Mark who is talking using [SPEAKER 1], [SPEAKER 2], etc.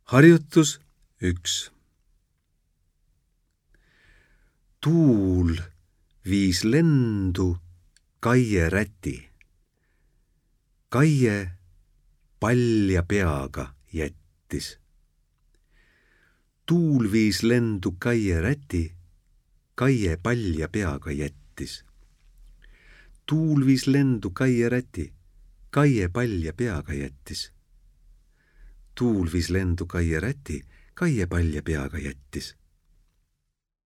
[SPEAKER 1] Harjutus 1. Tuul viis lendu Kaie räti. Kaie palja peaga jättis. Tuul viis lendu Kaie räti. Kaie palja peaga jättis. Tuul viis lendu Kaie räti. Kaie palja peaga jättis. Tuul viis lendu Kaie räti. Kaie palja peaga jättis.